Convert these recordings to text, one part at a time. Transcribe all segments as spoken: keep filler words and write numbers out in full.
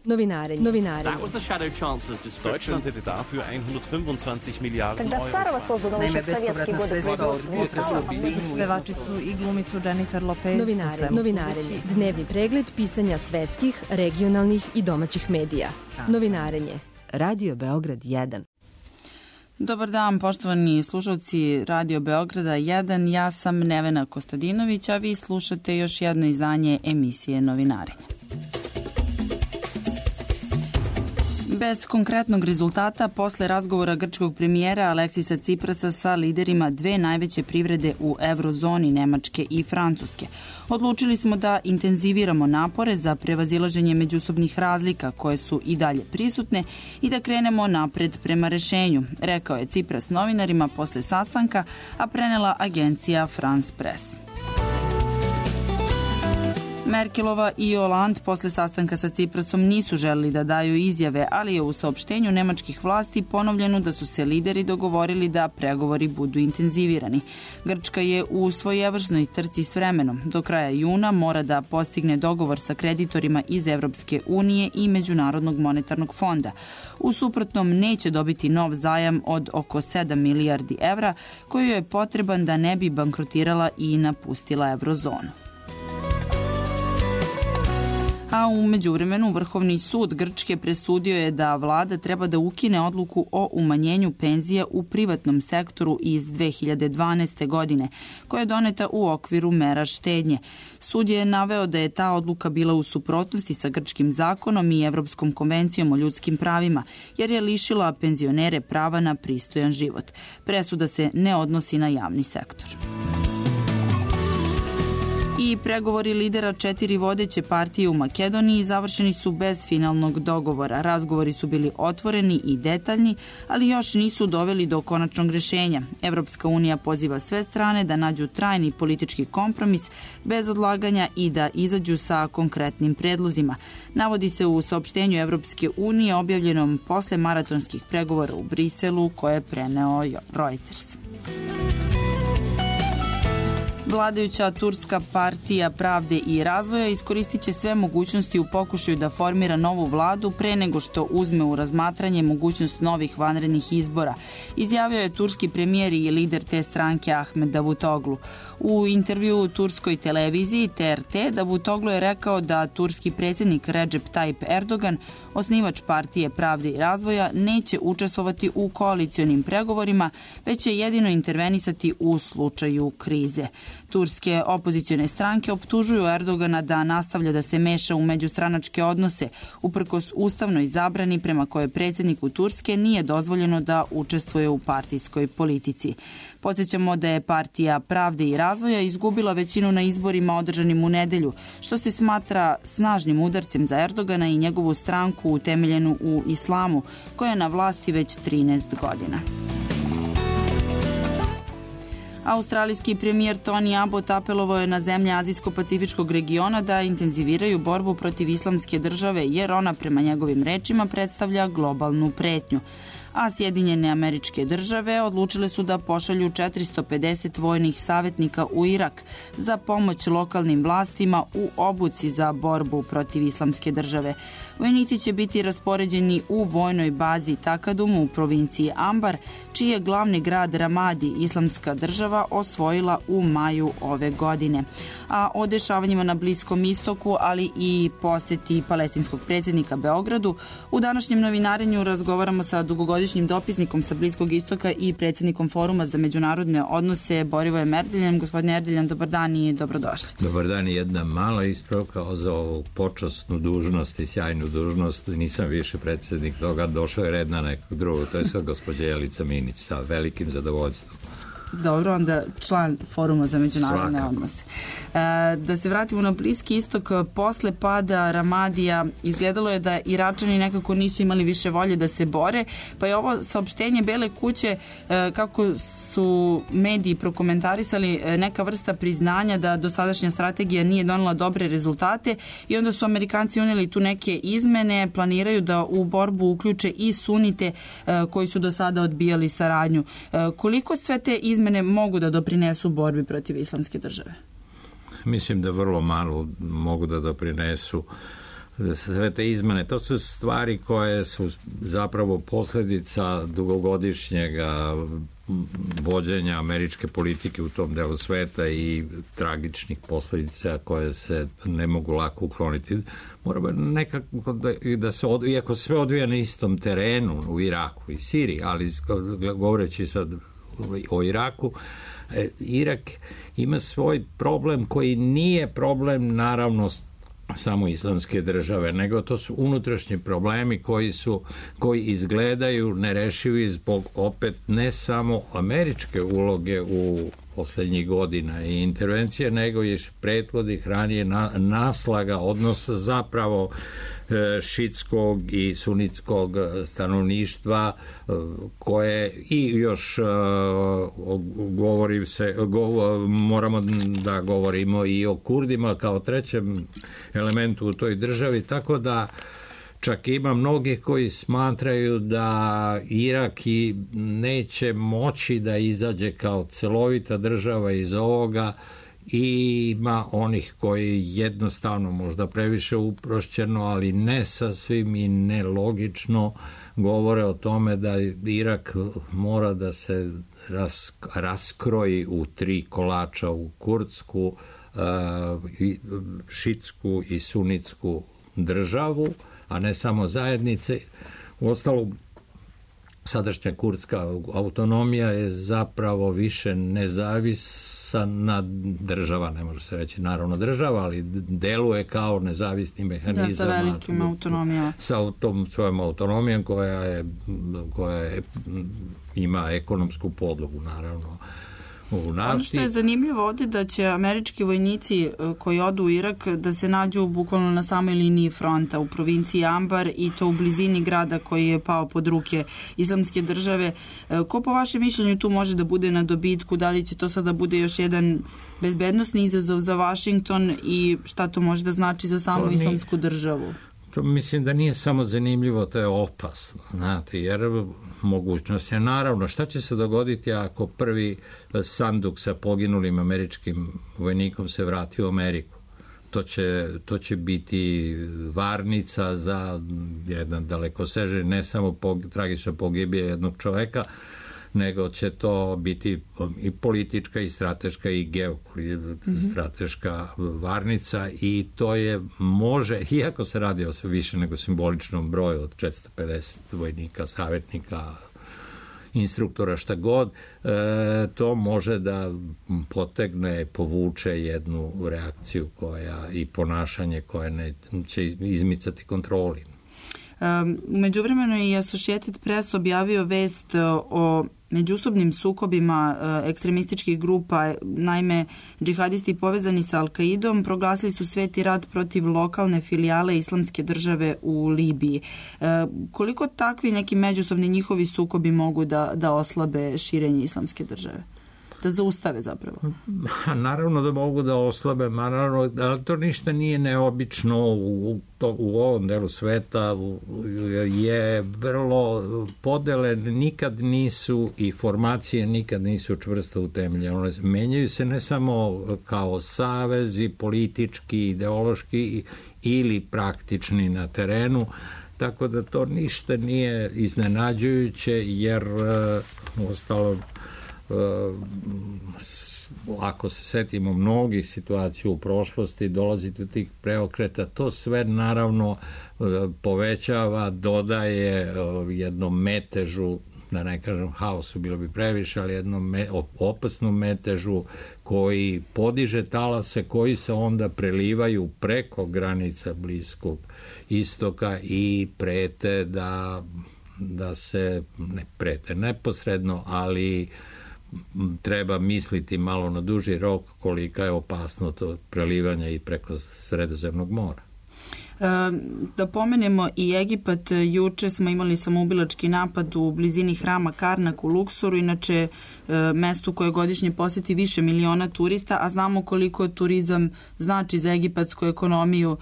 Novinarenje. Novinarenje. Deutschland hätte dafür hundertfünfundzwanzig Miliarden Euro. Naime, bespovratna sredstva od dvostruko pevačicu i glumicu Jennifer Lopez. Novinarenje. Novinarenje. Dnevni pregled pisanja svetskih, regionalnih i domaćih medija. Novinarenje. Radio Beograd jedan. Dobar dan, poštovani slušalci Radio Beograda jedan. Ja sam Nevena Kostadinović, a vi slušate još jedno izdanje emisije Novinarenje. Bez konkretnog rezultata, posle razgovora grčkog premijera Aleksisa Ciprasa sa liderima dve najveće privrede u eurozoni, Nemačke i Francuske, odlučili smo da intenziviramo napore za prevazilaženje međusobnih razlika koje su i dalje prisutne i da krenemo napred prema rešenju, rekao je Cipras novinarima posle sastanka, a prenela agencija France Press. Merkelova i Hollande posle sastanka sa Ciprasom nisu želeli da daju izjave, ali je u saopštenju nemačkih vlasti ponovljeno da su se lideri dogovorili da pregovori budu intenzivirani. Grčka je u svojevrsnoj trci s vremenom. Do kraja juna mora da postigne dogovor sa kreditorima iz Evropske unije i Međunarodnog monetarnog fonda. U suprotnom neće dobiti nov zajam od oko sedam milijardi evra, koji je potreban da ne bi bankrotirala i napustila eurozonu. A u međuvremenu Vrhovni sud Grčke presudio je da vlada treba da ukine odluku o umanjenju penzija u privatnom sektoru iz dve hiljade dvanaeste. godine, koja je doneta u okviru mera štednje. Sud je naveo da je ta odluka bila u suprotnosti sa grčkim zakonom i Evropskom konvencijom o ljudskim pravima, jer je lišila penzionere prava na pristojan život. Presuda se ne odnosi na javni sektor. I pregovori lidera četiri vodeće partije u Makedoniji završeni su bez finalnog dogovora. Razgovori su bili otvoreni i detaljni, ali još nisu doveli do konačnog rešenja. Evropska unija poziva sve strane da nađu trajni politički kompromis bez odlaganja i da izađu sa konkretnim predlozima. Navodi se u saopštenju Evropske unije objavljenom posle maratonskih pregovora u Briselu koje je preneo Reuters. Vladajuća Turska partija pravde i razvoja iskoristit će sve mogućnosti u pokušaju da formira novu vladu pre nego što uzme u razmatranje mogućnost novih vanrednih izbora, izjavio je turski premijer i lider te stranke Ahmed Davutoglu. U intervju u turskoj televiziji T R T Davutoglu je rekao da turski predsjednik Recep Tayyip Erdogan, osnivač partije pravde i razvoja, neće učestvovati u koalicionim pregovorima, već će jedino intervenisati u slučaju krize. Turske opozicione stranke optužuju Erdogana da nastavlja da se meša u međustranačke odnose, uprkos ustavnoj zabrani prema kojoj predsjedniku Turske nije dozvoljeno da učestvuje u partijskoj politici. Podsjećamo da je partija pravde i razvoja izgubila većinu na izborima održanim u nedelju, što se smatra snažnim udarcem za Erdogana i njegovu stranku utemeljenu u islamu, koja je na vlasti već trinaest godina. Australijski premijer Tony Abbott apelovao je na zemlje Azijsko-Pacifičkog regiona da intenziviraju borbu protiv islamske države, jer ona, prema njegovim rečima, predstavlja globalnu pretnju. A Sjedinjene Američke Države odlučile su da pošalju četiristo pedeset vojnih savjetnika u Irak za pomoć lokalnim vlastima u obuci za borbu protiv islamske države. Vojnici će biti raspoređeni u vojnoj bazi Takadum u provinciji Ambar, čiji je glavni grad Ramadi islamska država osvojila u maju ove godine. A o dešavanjima na Bliskom istoku, ali i poseti palestinskog predsjednika Beogradu, u današnjem novinarenju razgovaramo sa dugogodišnjim dopisnikom sa Bliskog istoka i predsjednikom Foruma za međunarodne odnose Borivojem Erdeljem. Gospodine Erdeljan, dobar dan i dobrodošli. Dobar dan i jedna mala ispravka za ovu počasnu dužnost i sjajnu dužnost. Nisam više predsjednik toga, došao je red na nekog drugog. To je sad gospođa Jelica Minić sa velikim zadovoljstvom. Dobro, onda član Foruma za međunarodne Svakako. odnose. E, da se vratimo na Bliski istok, posle pada Ramadija izgledalo je da Iračani nekako nisu imali više volje da se bore, pa je ovo saopštenje Bele kuće, e, kako su mediji prokomentarisali, e, neka vrsta priznanja da dosadašnja strategija nije donela dobre rezultate i onda su Amerikanci unijeli tu neke izmene, planiraju da u borbu uključe i sunite e, koji su do sada odbijali saradnju. E, koliko sve te izmene izmene mogu da doprinesu borbi protiv islamske države? Mislim da vrlo malo mogu da doprinesu. sve te izmene, to su stvari koje su zapravo posljedica dugogodišnjega vođenja američke politike u tom delu sveta i tragičnih posljedica koje se ne mogu lako ukloniti. Moramo nekako da, da se, od, iako sve odvija na istom terenu u Iraku i Siriji, ali govoreći sad o Iraku, Irak ima svoj problem koji nije problem naravno samo islamske države, nego to su unutrašnji problemi koji su, koji izgledaju nerešivi zbog opet ne samo američke uloge u posljednjih godina i intervencije, nego i prethodnih ranije na, naslaga odnosa zapravo e, šitskog i sunitskog stanovništva e, koje i još e, govori se, go, moramo da govorimo i o Kurdima kao trećem elementu u toj državi, tako da čak ima mnogi koji smatraju da Irak i neće moći da izađe kao celovita država iz ovoga i ima onih koji jednostavno možda previše uprošćeno, ali ne sasvim i nelogično govore o tome da Irak mora da se ras, raskroji u tri kolača, u kurdsku, šitsku i sunitsku državu, a ne samo zajednice. Uostalom, sadašnja kurdska autonomija je zapravo više nezavisna država, ne može se reći naravno država, ali deluje kao nezavisni mehanizam. Da, sa velikim autonomijama. Sa tom svojom autonomijom koja je, koja je, ima ekonomsku podlogu, naravno. Ono što je zanimljivo ovdje da će američki vojnici koji odu u Irak da se nađu bukvalno na samoj liniji fronta u provinciji Ambar i to u blizini grada koji je pao pod ruke islamske države. Ko po vašem mišljenju tu može da bude na dobitku? Da li će to sada bude još jedan bezbednosni izazov za Washington i šta to može da znači za samu nije, islamsku državu? To mislim da nije samo zanimljivo, to je opasno, znate, jer mogućnost je naravno šta će se dogoditi ako prvi sanduk sa poginulim američkim vojnikom se vrati u Ameriku. To će, to će biti varnica za jedan dalekosežni, ne samo po, tragična pogibija jednog čoveka, nego će to biti i politička i strateška i geostrateška varnica i to je može, iako se radi o više nego simboličnom broju od četiristo pedeset vojnika, savjetnika, instruktora, šta god, e, to može da potegne, povuče jednu reakciju koja i ponašanje koje ne će izmicati kontroli. U međuvremenu je Associated Press objavio vest o međusobnim sukobima ekstremističkih grupa. Naime, džihadisti povezani sa Al-Kaidom proglasili su sveti rat protiv lokalne filijale islamske države u Libiji. Koliko takvi neki međusobni njihovi sukobi mogu da, da oslabe širenje islamske države? Da zaustave zapravo? Naravno da mogu da oslabe, naravno, ali to ništa nije neobično u, to, u ovom delu sveta, je vrlo podele nikad nisu i formacije nikad nisu čvrsto utemeljene. One menjaju se ne samo kao savezi politički, ideološki ili praktični na terenu, tako da to ništa nije iznenađujuće, jer uostalom ako se setimo mnogih situacija u prošlosti, dolazi do tih preokreta, to sve naravno povećava, dodaje jednom metežu, da ne kažem haosu, bilo bi previše, ali jednom me, opasnom metežu koji podiže talase, koji se onda prelivaju preko granica Bliskog istoka i prete da, da se, ne prete neposredno, ali treba misliti malo na duži rok kolika je opasno to prelivanje i preko Sredozemnog mora. Da pomenemo i Egipat, juče smo imali samoubilački napad u blizini hrama Karnak u Luksoru, inače mestu koje godišnje poseti više miliona turista, a znamo koliko turizam znači za egipatsku ekonomiju.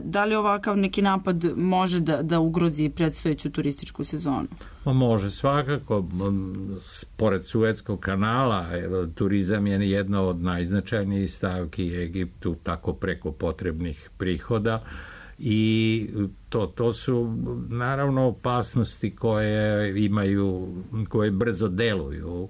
Da li ovakav neki napad može da, da ugrozi predstojeću turističku sezonu? Može, svakako. Pored Suetskog kanala, turizam je jedna od najznačajnijih stavki Egiptu, tako preko potrebnih prihoda. I to, to su naravno opasnosti koje imaju, koje brzo deluju.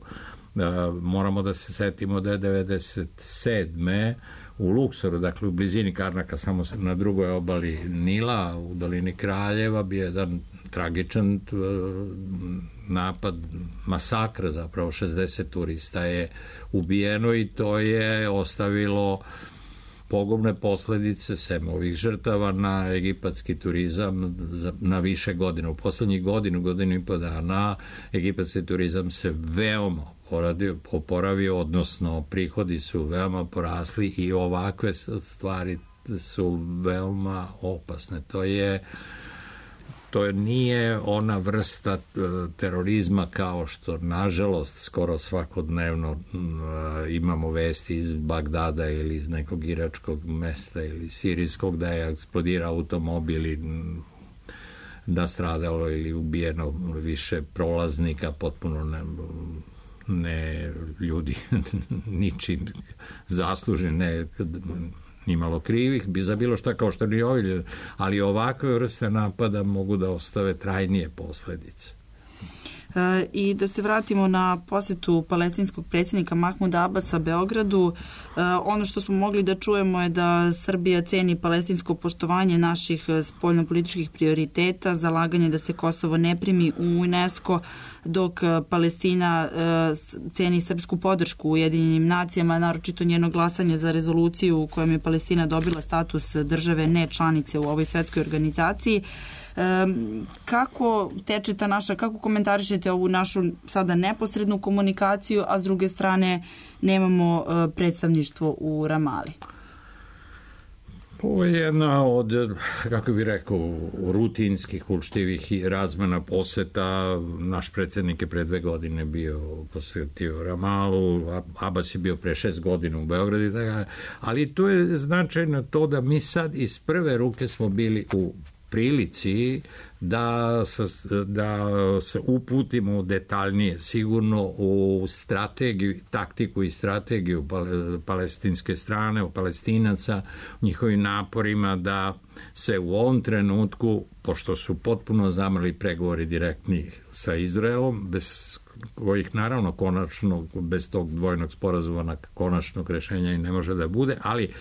Moramo da se setimo da je devedeset sedme u Luksoru, dakle u blizini Karnaka, samo na drugoj obali Nila, u dolini Kraljeva, bio jedan tragičan napad, masakr, zapravo šezdeset turista je ubijeno i to je ostavilo pogubne posledice sem ovih žrtava na egipatski turizam na više godina. U poslednjih godinu, godinu i po dana egipatski turizam se veoma oporavio, odnosno prihodi su veoma porasli i ovakve stvari su veoma opasne. To je To nije ona vrsta terorizma kao što, nažalost, skoro svakodnevno imamo vesti iz Bagdada ili iz nekog iračkog mesta ili sirijskog, da je eksplodirao automobil i nastradalo ili ubijeno više prolaznika, potpuno ne, ne ljudi ničim zasluženi, ne nimalo krivih, bi za bilo šta kao što ni ovi, ali ovakve vrste napada mogu da ostave trajnije posledice. E, I da se vratimo na posetu palestinskog predsjednika Mahmuda Abasa Beogradu, e, ono što smo mogli da čujemo je da Srbija ceni palestinsko poštovanje naših spoljnopolitičkih prioriteta, zalaganje da se Kosovo ne primi u UNESCO, dok Palestina e, ceni srpsku podršku u Ujedinjenim nacijama, naročito njeno glasanje za rezoluciju u kojom je Palestina dobila status države ne članice u ovoj svetskoj organizaciji. E, kako teče ta naša, kako komentarišete ovu našu sada neposrednu komunikaciju, a s druge strane nemamo e, predstavništvo u Ramali? Ovo je jedna od, kako bih rekao, rutinskih, učtivih i razmena poseta. Naš predsjednik je pre dve godine bio posjetio Ramalu, Abbas je bio pre šest godina u Beogradu, ali to je značajno to da mi sad iz prve ruke smo bili u prilici da se, da se uputimo detaljnije, sigurno u strategiju, taktiku i strategiju palestinske strane, u Palestinaca, u njihovim naporima da se u ovom trenutku, pošto su potpuno zamrli pregovori direktni sa Izraelom, bez kojih naravno konačno, bez tog dvojnog sporazuma konačnog rešenja i ne može da bude, ali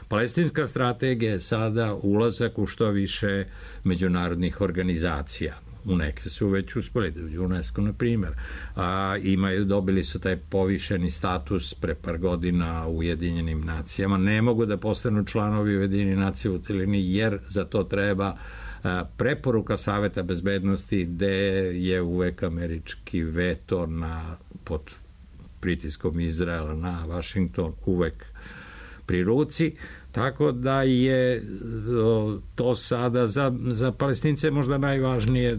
palestinska strategija je sada ulazak u što više međunarodnih organizacija. U neke su već uspeli, UNESCO na primjer, a imaju, dobili su taj povišeni status pre par godina u Ujedinjenim nacijama. Ne mogu da postanu članovi Ujedinjenih nacija u celini jer za to treba preporuka Saveta bezbednosti gde je uvek američki veto na, pod pritiskom Izraela na Washington uvek pri ruci, tako da je to sada za, za Palestince možda najvažnije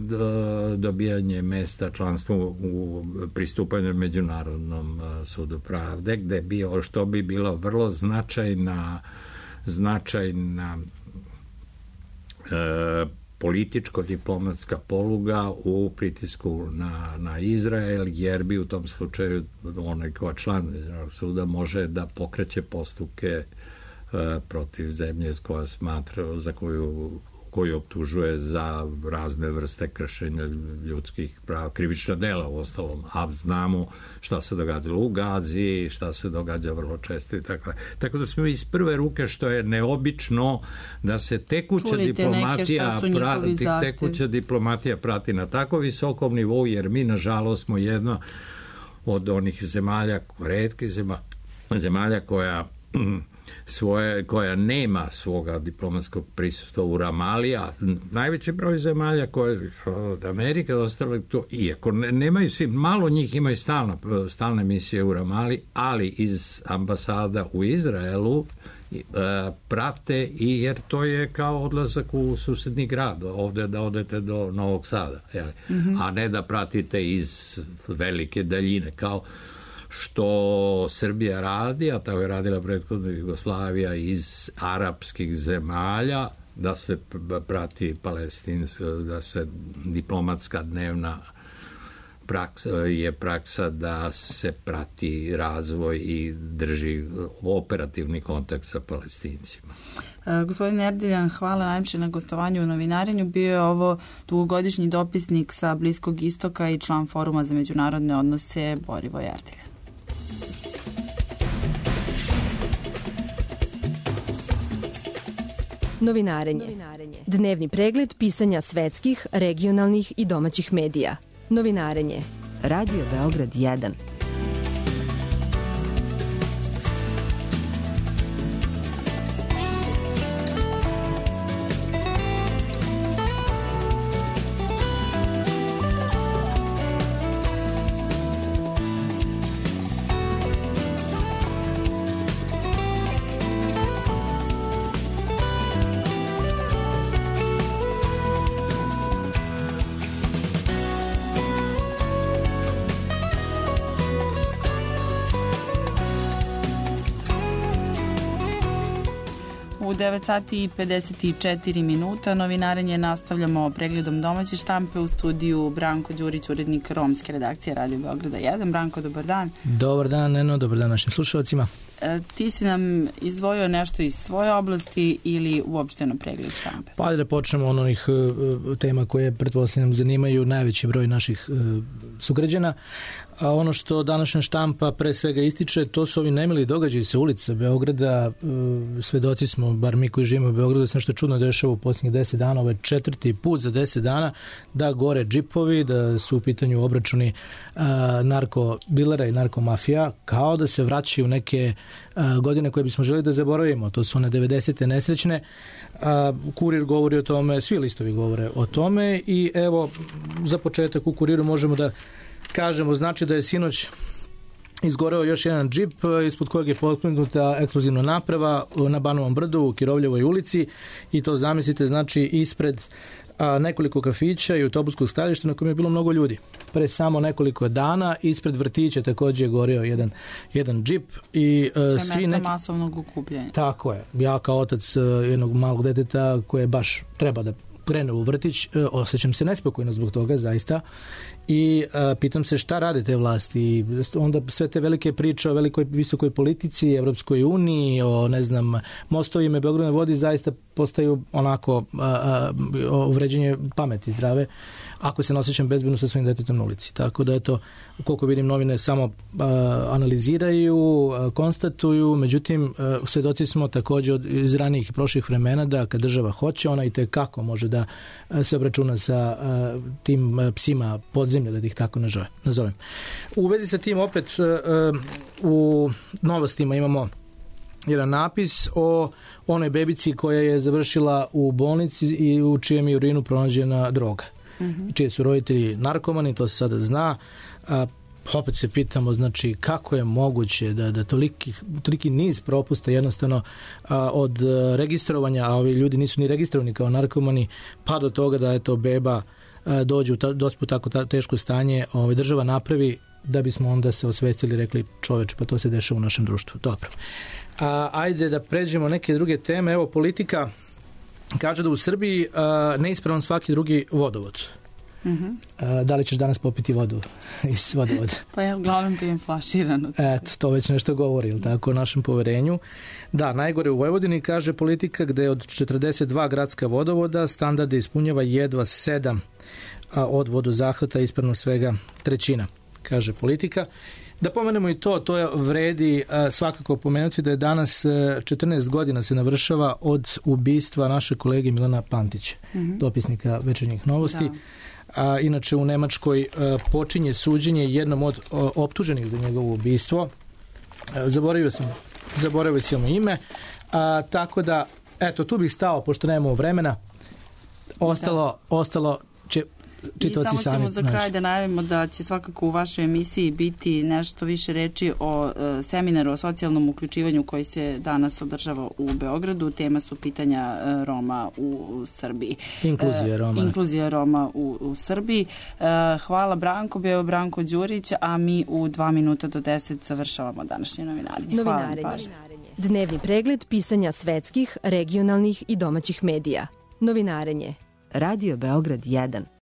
dobijanje mesta članstva u pristupanju Međunarodnom sudu pravde, gde bi, što bi bilo vrlo značajna značajna e, političko-diplomatska poluga u pritisku na, na Izrael, jer bi u tom slučaju onaj ko član Izraelskog suda može da pokreće postupke e, protiv zemlje koja smatra, za koju koju optužuje za razne vrste kršenja ljudskih prava, krivična dela u ostalom, a znamo šta se događalo u Gazi, šta se događa vrlo često i tako. Tako da smo iz prve ruke, što je neobično da se tekuća Čulite diplomatija prati, tekuća diplomatija prati na tako visokom nivou, jer mi nažalost smo jedna od onih zemalja, retkih zemalja, zemalja koja svoje, koja nema svoga diplomatskog prisustva u Ramali, a najveći broj zemalja koje od Amerike ostale to, iako ne, nemaju svi, malo njih imaju stalna, stalne misije u Ramali, ali iz ambasada u Izraelu e, prate, i jer to je kao odlazak u susedni grad, ovde da odete do Novog Sada, jel? Mm-hmm. A ne da pratite iz velike daljine, kao što Srbija radi, a tako je radila prethodna Jugoslavija iz arapskih zemalja, da se prati palestinska, da se diplomatska dnevna praksa, je praksa da se prati razvoj i drži operativni kontakt sa Palestincima. Gospodin Erdiljan, hvala najviše na gostovanju u Novinarenju. Bio je ovo dugogodišnji dopisnik sa Bliskog istoka i član Foruma za međunarodne odnose Borivoj Erdiljan. Novinarenje. Dnevni pregled pisanja svetskih, regionalnih i domaćih medija. Novinarenje. Radio Beograd jedan. U devet sati i pedeset četiri minuta Novinarenje nastavljamo pregledom domaće štampe. U studiju Branko Đurić, urednik romske redakcije Radio Beograda jedan. Branko, dobar dan. Dobar dan, Neno, dobar dan našim slušalcima. E, ti si nam izdvojio nešto iz svoje oblasti ili uopšteno pregled štampe? Pa da počnemo od onih uh, tema koje pretpostavljam zanimaju najveći broj naših uh, sugrađana. A ono što današnja štampa pre svega ističe, to su ovi nemili događaji sa ulica Beograda. Svedoci smo, bar mi koji živimo u Beogradu, da se nešto čudno dešava u posljednjih deset dana, ovo je četvrti put za deset dana, da gore džipovi, da su u pitanju obračuni narkobilera i narkomafija, kao da se vraćaju neke a, godine koje bismo želi da zaboravimo. To su one devedesete nesrećne. A, Kurir govori o tome, svi listovi govore o tome i evo, za početak u Kuriru možemo da kažemo, znači da je sinoć izgoreo još jedan džip ispod kojeg je potknuta eksplozivna naprava na Banovom brdu u Kirovljevoj ulici i to zamislite znači ispred a, nekoliko kafića i autobuskog stajališta na kojem je bilo mnogo ljudi. Pre samo nekoliko dana ispred vrtića također je gorio jedan, jedan džip. I, Sve svi mesta neki... masovnog okupljanja. Tako je. Ja kao otac jednog malog deteta koje baš treba da krene u vrtić, osjećam se nespokojno zbog toga, zaista. I a, pitam se šta rade te vlasti. I onda sve te velike priče o velikoj visokoj politici, Evropskoj uniji, o ne znam, mostovima Beogradne vodi zaista postaju onako a, a, uvređenje pameti zdrave ako se ne osjećam bezbedno sa svojim detetom na ulici. Tako da eto, koliko vidim novine samo a, analiziraju, a, konstatuju, međutim a, svedoci smo također od iz ranijih i prošlih vremena da kad država hoće, ona i tekako može da a, se obračuna sa a, tim a, psima podzemlja, da ih tako nazovem. U vezi sa tim opet a, u novostima imamo jedan napis o onoj bebici koja je završila u bolnici i u čijem je urinu pronađena droga. Mm-hmm. Čije su roditelji narkomani, to se sada zna. A, opet se pitamo, znači, kako je moguće da, da toliki, toliki niz propusta jednostavno a, od registrovanja, a ovi ljudi nisu ni registrovani kao narkomani, pa do toga da eto beba a, dođe u ta, dospu tako ta, teško stanje, ovaj, država napravi da bismo onda se osvestili i rekli čoveče, pa to se dešava u našem društvu. Dobro. A, ajde da pređemo neke druge teme. Evo, politika kaže da u Srbiji a, neispravan svaki drugi vodovod. Mm-hmm. A, da li ćeš danas popiti vodu iz vodovoda? Pa ja uglavnom pijem flaširano. Eto, to već nešto govori, ili tako, o našem poverenju. Da, najgore u Vojvodini, kaže politika, gde od četrdeset dva gradska vodovoda standarde ispunjava jedva sedam, a od vodozahvata ispravno svega trećina, kaže politika. Da pomenemo i to, to je vredi a, svakako pomenuti da je danas a, četrnaest godina se navršava od ubistva naše kolege Milana Pantića, mm-hmm. dopisnika Večernjih novosti. Da. A, inače u Nemačkoj a, počinje suđenje jednom od a, optuženih za njegovo ubistvo. A, zaboravio sam, zaboravio sam ime. A, tako da, eto, tu bih stao, pošto nemamo vremena. Ostalo, da. ostalo će... I samo ćemo za kraj da najavimo da će svakako u vašoj emisiji biti nešto više reči o e, seminaru o socijalnom uključivanju koji se danas održava u Beogradu. Tema su pitanja e, Roma u, u Srbiji. Inkluzija Roma. E, inkluzija Roma u, u Srbiji. E, hvala Branko, bio Branko Đurić, a mi u dva minuta do deset završavamo današnje novinarenje. Novinarenje. Dnevni pregled pisanja svetskih, regionalnih i domaćih medija. Novinarenje. Radio Beograd jedan.